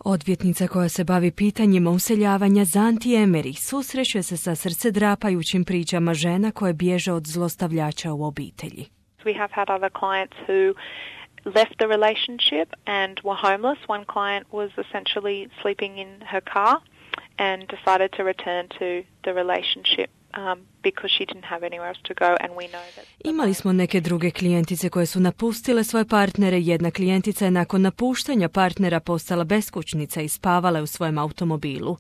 Odvjetnica koja se bavi pitanjima useljavanja Zanti Emery susreće se sa srcedrapajućim pričama žena koje bježe od zlostavljača u obitelji. We have had other clients who left the relationship and were homeless. One client was essentially sleeping in her car and decided to return to the relationship because she didn't have anywhere else to go, and we know that. Imali smo neke druge klijentice koje su napustile svoje partnere. Jedna klijentica je nakon napuštanja partnera postala beskućnica i spavala je u svojem automobilu.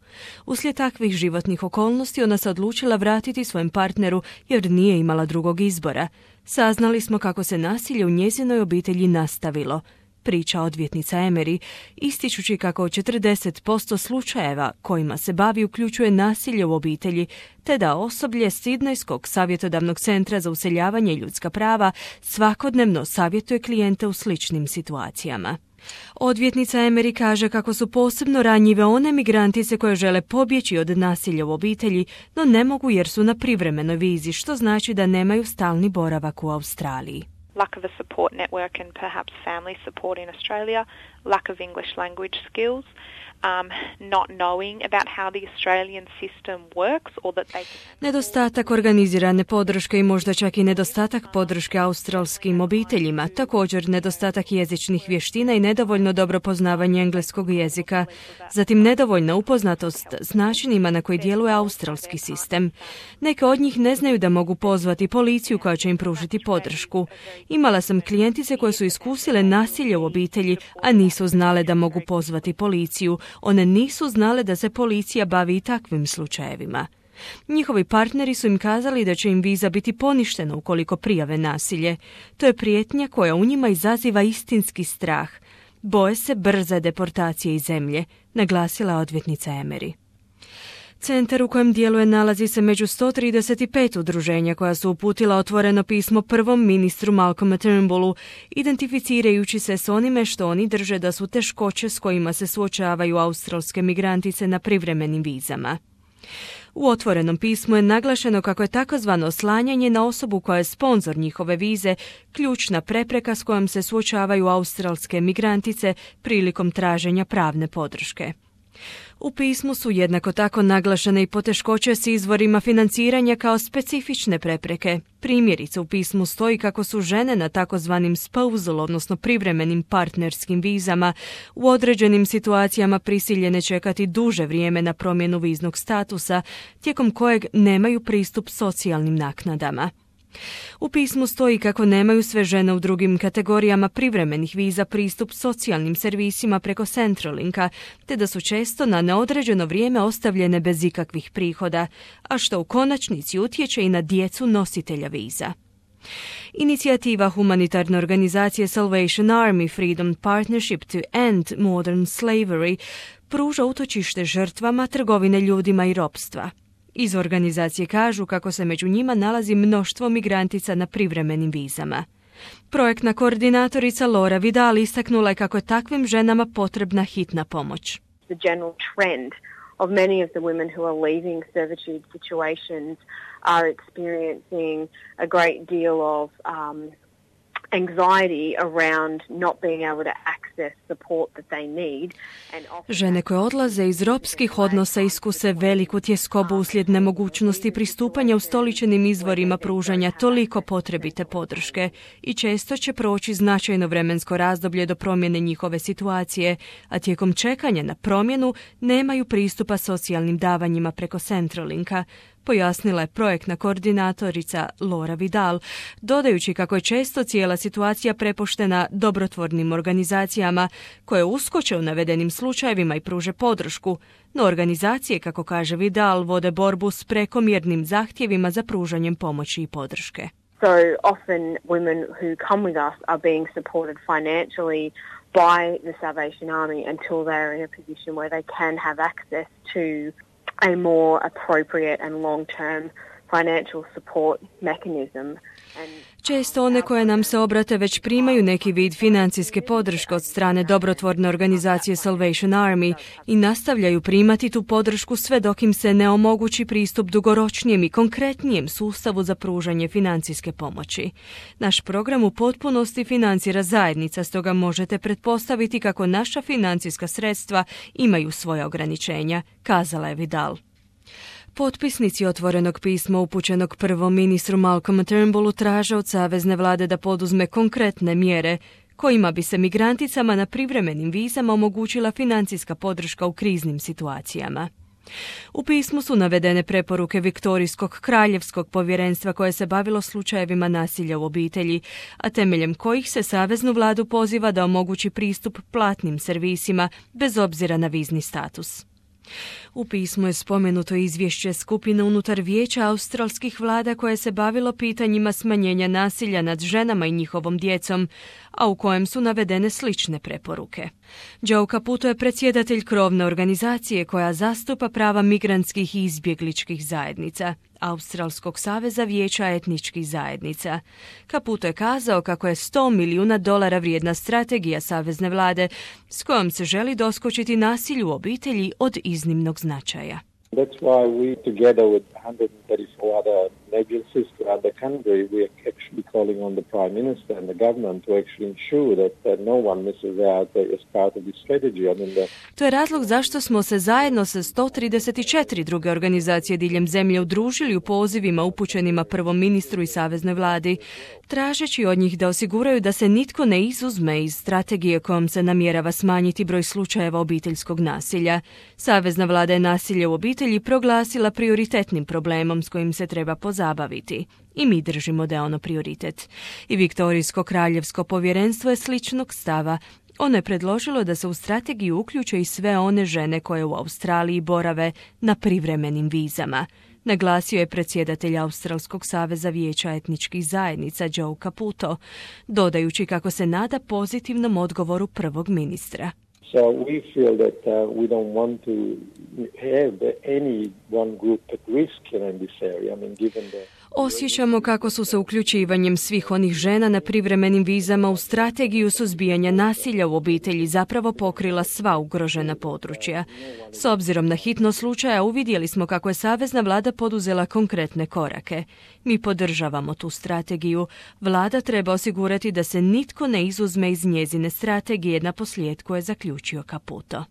Uslijed takvih životnih okolnosti ona se odlučila vratiti svojem partneru jer nije imala drugog izbora. Saznali smo kako se nasilje u njezinoj obitelji nastavilo, priča odvjetnica Emery, ističući kako 40% slučajeva kojima se bavi uključuje nasilje u obitelji, te da osoblje Sidnejskog savjetodavnog centra za useljavanje i ljudska prava svakodnevno savjetuje klijente u sličnim situacijama. Odvjetnica Emery kaže kako su posebno ranjive one migrantice koje žele pobjeći od nasilja u obitelji, no ne mogu jer su na privremenoj vizi, što znači da nemaju stalni boravak u Australiji. Lack of a support network and perhaps family support in Australia, lack of English language skills, not knowing about how the Australian system works or that they can... Nedostatak organizirane podrške i možda čak i nedostatak podrške australskim obiteljima, također nedostatak jezičnih vještina i nedovoljno dobro poznavanje engleskog jezika, zatim nedovoljna upoznatost s načinima na koji djeluje australski sistem. Neke od njih ne znaju da mogu pozvati policiju koja će im pružiti podršku. Imala sam klijentice koje su iskusile nasilje u obitelji, a nisu znale da mogu pozvati policiju. One nisu znale da se policija bavi i takvim slučajevima. Njihovi partneri su im kazali da će im viza biti poništena ukoliko prijave nasilje. To je prijetnja koja u njima izaziva istinski strah. Boje se brze deportacije iz zemlje, naglasila odvjetnica Emery. Centar u kojem djeluje nalazi se među 135 udruženja koja su uputila otvoreno pismo prvom ministru Malcolmu Turnbullu, identificirajući se s onime što oni drže da su teškoće s kojima se suočavaju australske migrantice na privremenim vizama. U otvorenom pismu je naglašeno kako je takozvano oslanjanje na osobu koja je sponzor njihove vize ključna prepreka s kojom se suočavaju australske migrantice prilikom traženja pravne podrške. U pismu su jednako tako naglašene i poteškoće s izvorima financiranja kao specifične prepreke. Primjerice u pismu stoji kako su žene na takozvanim spousal, odnosno privremenim partnerskim vizama, u određenim situacijama prisiljene čekati duže vrijeme na promjenu viznog statusa, tijekom kojeg nemaju pristup socijalnim naknadama. U pismu stoji kako nemaju sve žene u drugim kategorijama privremenih viza pristup socijalnim servisima preko Centralinka, te da su često na neodređeno vrijeme ostavljene bez ikakvih prihoda, a što u konačnici utječe i na djecu nositelja viza. Inicijativa humanitarne organizacije Salvation Army Freedom Partnership to End Modern Slavery pruža utočište žrtvama trgovine ljudima i ropstva. Iz organizacije kažu kako se među njima nalazi mnoštvo migrantica na privremenim vizama. Projektna koordinatorica Laura Vidal istaknula je kako je takvim ženama potrebna hitna pomoć. The general trend of many of the women who are leaving servitude situations are experiencing a great deal of anxiety around not being able to access support that they need. Žene koje odlaze iz ropskih odnosa iskuse veliku tjeskobu uslijed nemogućnosti pristupanja ustoličenim izvorima pružanja toliko potrebite podrške i često će proći značajno vremensko razdoblje do promjene njihove situacije, a tijekom čekanja na promjenu nemaju pristupa socijalnim davanjima preko Centralinka, pojasnila je projektna koordinatorica Laura Vidal, dodajući kako je često cijela situacija prepuštena dobrotvornim organizacijama koje uskoče u navedenim slučajevima i pruže podršku, no organizacije, kako kaže Vidal, vode borbu s prekomjernim zahtjevima za pružanjem pomoći i podrške. So often women who come with us are being supported financially by the Salvation Army until they're in a position where they can have access to a more appropriate and long-term financial support mechanism. Često one koje nam se obrate već primaju neki vid financijske podrške od strane dobrotvorne organizacije Salvation Army i nastavljaju primati tu podršku sve dok im se ne omogući pristup dugoročnijem i konkretnijem sustavu za pružanje financijske pomoći. Naš program u potpunosti financira zajednica, stoga možete pretpostaviti kako naša financijska sredstva imaju svoja ograničenja, kazala je Vidal. Potpisnici otvorenog pisma upućenog prvom ministru Malcolmu Turnbullu traže od savezne vlade da poduzme konkretne mjere kojima bi se migranticama na privremenim vizama omogućila financijska podrška u kriznim situacijama. U pismu su navedene preporuke Viktorijskog kraljevskog povjerenstva koje se bavilo slučajevima nasilja u obitelji, a temeljem kojih se saveznu vladu poziva da omogući pristup platnim servisima bez obzira na vizni status. U pismu je spomenuto izvješće skupine unutar Vijeća australskih vlada koje se bavilo pitanjima smanjenja nasilja nad ženama i njihovom djecom, a u kojem su navedene slične preporuke. Joe Caputo je predsjedatelj krovne organizacije koja zastupa prava migrantskih i izbjegličkih zajednica, Australskog saveza vijeća etničkih zajednica. Caputo je kazao kako je $100 milijuna vrijedna strategija savezne vlade s kojom se želi doskočiti nasilju u obitelji od iznimnog značaja. That's why we, together with 134 other agencies throughout the country, we are actually calling on the Prime Minister and the government to actually ensure that no one misses out as part of this strategy. To je razlog zašto smo se zajedno sa 134 druge organizacije diljem zemlje udružili u pozivima upućenima prvom ministru i saveznoj vladi, tražeći od njih da osiguraju da se nitko ne izuzme iz strategije kojom se namjerava smanjiti broj slučajeva obiteljskog nasilja. Savezna vlada je nasilje u obitelji proglasila prioritetnim problemom s kojim se treba pozabaviti. I mi držimo da je ono prioritet. I Viktorijsko kraljevsko povjerenstvo je sličnog stava. Ono je predložilo da se u strategiju uključe i sve one žene koje u Australiji borave na privremenim vizama. Naglasio je predsjedatelj Australskog saveza vijeća etničkih zajednica Joe Caputo, dodajući kako se nada pozitivnom odgovoru prvog ministra. So we feel that we don't want to have any one group at risk in this area. Given the Osjećamo kako su se uključivanjem svih onih žena na privremenim vizama u strategiju suzbijanja nasilja u obitelji zapravo pokrila sva ugrožena područja. S obzirom na hitnost slučaja uvidjeli smo kako je savezna vlada poduzela konkretne korake. Mi podržavamo tu strategiju. Vlada treba osigurati da se nitko ne izuzme iz njezine strategije, naposljetku je zaključio Caputo.